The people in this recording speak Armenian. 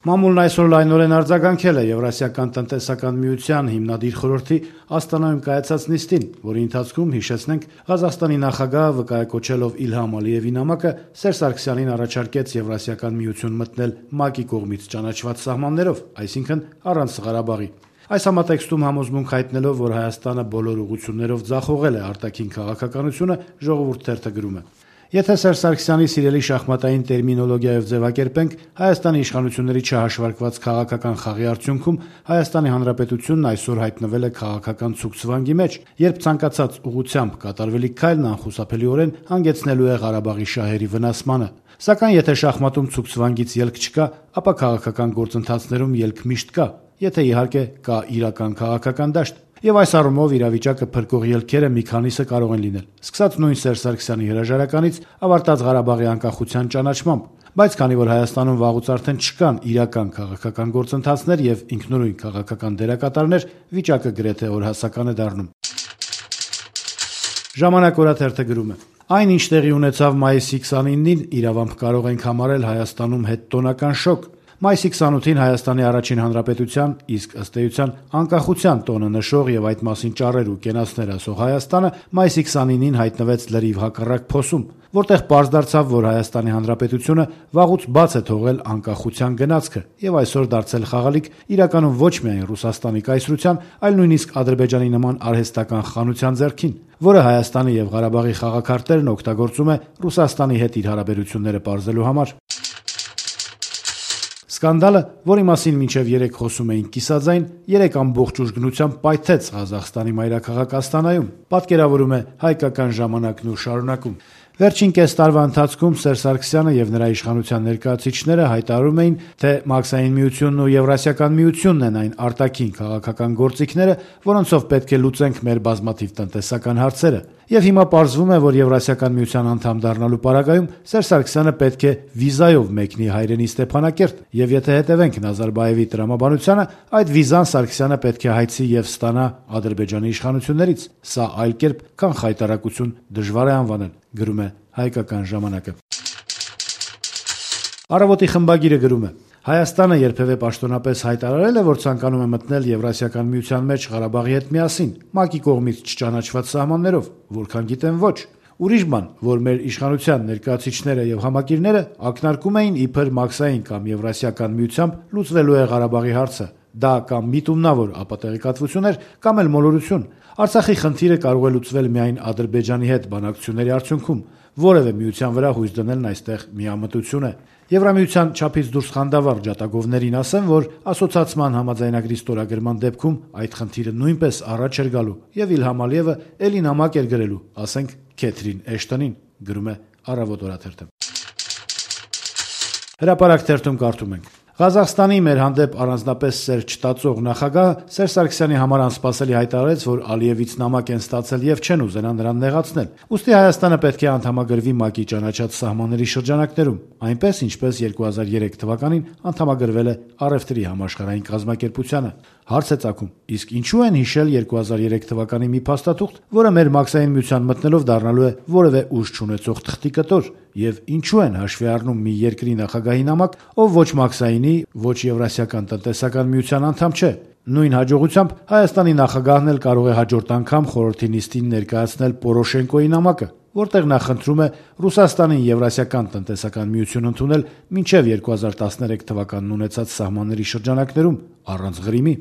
Մամուլն այսօր լայնորեն արձագանքել է Եվրասիական տնտեսական միության հիմնադիր խորհրդի Աստանայում կայացած նիստին, որի ընթացքում, հիշեցնենք, Ղազախստանի նախագահը վկայակոչելով Իլհամ Ալիևի նամակը Սերժ Սարգսյանին առաջարկեց Եվրասիական միություն մտնել ՄԱԿ-ի կողմից ճանաչված սահմաններով, այսինքն առանց Ղարաբաղի։ Այս համատեքստում համոզմունք հայտնելով, որ Հայաստանը բոլոր ուղղություններով ձախողել է արտաքին քաղաքականությունը, Ժողովուրդ թերթը գրում է. Եթե Սերժ Սարգսյանի սիրելի շախմատային տերմինոլոգիայով ձևակերպենք, Հայաստանի իշխանությունների չհաշվարկված քաղաքական խաղի արդյունքում Հայաստանի Հանրապետությունն այսօր հայտնվել է քաղաքական ցուգցվանգի մեջ, երբ ցանկացած ուղղությամբ կատարվելիք քայլն անխուսափելիորեն հանգեցնելու է Ղարաբաղի շահերի վնասմանը։ Սակայն եթե շախմատում ցուգցվանգից ելք չկա, ապա քաղաքական գործընթացներում ելք միշտ կա, եթե իհարկե կա իրական քաղաքական դաշտ։ Եվ այս առումով իրավիճակը փրկող ելքերը մի քանիսը կարող են լինել, սկսած նույն Սերժ Սարգսյանի հրաժարականից, ավարտած Ղարաբաղի անկախության ճանաչմամբ, բայց քանի որ Հայաստանում վաղուց արդեն չկան իրական քաղաքական գործընթացներ եւ ինքնուրույն քաղաքական դերակատարներ, վիճակը գրեթե օրհասական է դառնում։ Ժամանակ օրաթերթը գրում է. Այն, ինչ տեղի ունեցավ մայիսի 29-ին, իրավամբ կարող ենք համարել Հայաստանում հետտոնական շոկ։ Մայիսի 28-ին Հայաստանի առաջին հանրապետության, իսկ ըստ էության անկախության տոնը նշող եւ այդ մասին ճառեր ու կենացներ ասող Հայաստանը մայիսի 29-ին հայտնվեց լրիվ հակառակ փոսում, որտեղ պարզ դարձավ, որ Հայաստանի հանրապետությունը վաղուց բաց է թողել անկախության գնացքը եւ այսօր դարձել խաղալիք իրականում ոչ միայն Ռուսաստանի կայսրության, այլ նույնիսկ Ադրբեջանի նման արհեստական խանության ձեռքին, որը Հայաստանի եւ Ղարաբաղի խաղաքարտերն օգտագործում է Ռուսաստանի հետ իր հարաբերությունները պարզելու համար։ Սկանդալը, որի մասին մինչև 3 խոսում էին կիսաձայն, 3 ամբողջ ուժգնությամբ պայթեց Ղազախստանի մայրաքաղաք Աստանայում, պատկերավորում է Հայկական ժամանակն ու շարունակում։ Վերջին կես տարվա ընթացքում Սերժ Սարգսյանը եւ նրա իշխանության ներկայացուցիչները հայտարարում էին, թե Մաքսային միությունն ու Եվրասիական միությունն են այն արտաքին քաղաքական գործիքները, որոնցով պետք է լուծենք մեր բազմաթիվ տնտեսական հարցերը։ Եվ հիմա պարզվում է, որ Եվրասիական միության անդամ դառնալու պարագայում Սերժ Սարգսյանը պետք է վիզայով մեկնի հայրենի Ստեփանակերտ, եւ եթե հետևենք Նազարբաևի տրամաբանությանը, այդ վիզան Սարգսյանը պետք է հայցի եւ ստանա Ադրբեջանի իշխանություններից։ Սա այլ կերպ, քան խայտարակություն դժվար է անվանել, գրում է Հայկական ժամանակը։ Առավոտի խմբագիրը գրում է. Հայաստանը երբևէ պաշտոնապես հայտարարել է, որ ցանկանում է մտնել Եվրասիական միության մեջ Ղարաբաղի հետ միասին, ՄԱԿ-ի կողմից չճանաչված սահմաններով, որքան գիտեմ ոչ։ Ուրիշ բան, որ մեր իշխանության ներկայացուցիչները եւ համակիրները ակնարկում էին իբր Մաքսային կամ Եվրասիական միությամբ լուծվելու է Ղարաբաղի հարցը։ Դա կամ միտումնավոր ապատեղեկատվություն էր, կամ էլ մոլորություն։ Արցախի խնդիրը կարող է լուծվել միայն Ադրբեջանի հետ բանակցությունների արդյունքում։ Որևէ միության վրա հույս դնելն այստեղ միամտություն է։ Եվրամիության չափից դուրս խանդավառ ջատագովներին ասեմ, որ ասոցացման համաձայնագրի ստորագրման դեպքում այդ խնդիրը նույնպես առաջ էր գալու եւ Իլհամ Ալիևը էլի նամակ էր գրելու, ասենք Քեթրին Էշտոնին, գրում է Առավոտ օրաթերթը։ Հրապարակ թերթում կարդում ենք. Ղազախստանի մեր հանդեպ առանձնապես սեր չտածող նախագահը Սերժ Սարգսյանի համար անսպասելի հայտարարեց, որ Ալիևից նամակ են ստացել եւ չեն ուզենա նրան նեղացնել։ Ուստի Հայաստանը պետք է անդամագրվի ՄԱԿ-ի ճանաչած սահմանների շրջանակներում, այնպես ինչպես 2003 թվականին անդամագրվել է առևտրի համաշխարհային կազմակերպությանը։ Հարց է ծագում. իսկ ինչու են հիշել 2003 թվականի մի փաստաթուղթ, որը մեր Մաքսային միության մտնելով դառնալու է որևէ ուժ չունեցող թղթի կտոր, եւ ինչու են հաշվի առնում մի երկրի նախագահի նամակ, ով ոչ Մաքսայինի, ոչ Եվրասիական տնտեսական միության անդամ չէ։ Նույն հաջողությամբ Հայաստանի նախագահն էլ կարող է հաջորդ անգամ խորհրդի նիստին ներկայացնել Պորոշենկոյի նամակը, որտեղ նա խնդրում է Ռուսաստանին Եվրասիական տնտեսական միություն ընդունել մինչև 2013 թվականն ունեցած սահմանների շրջանակներում առանց Ղրիմի։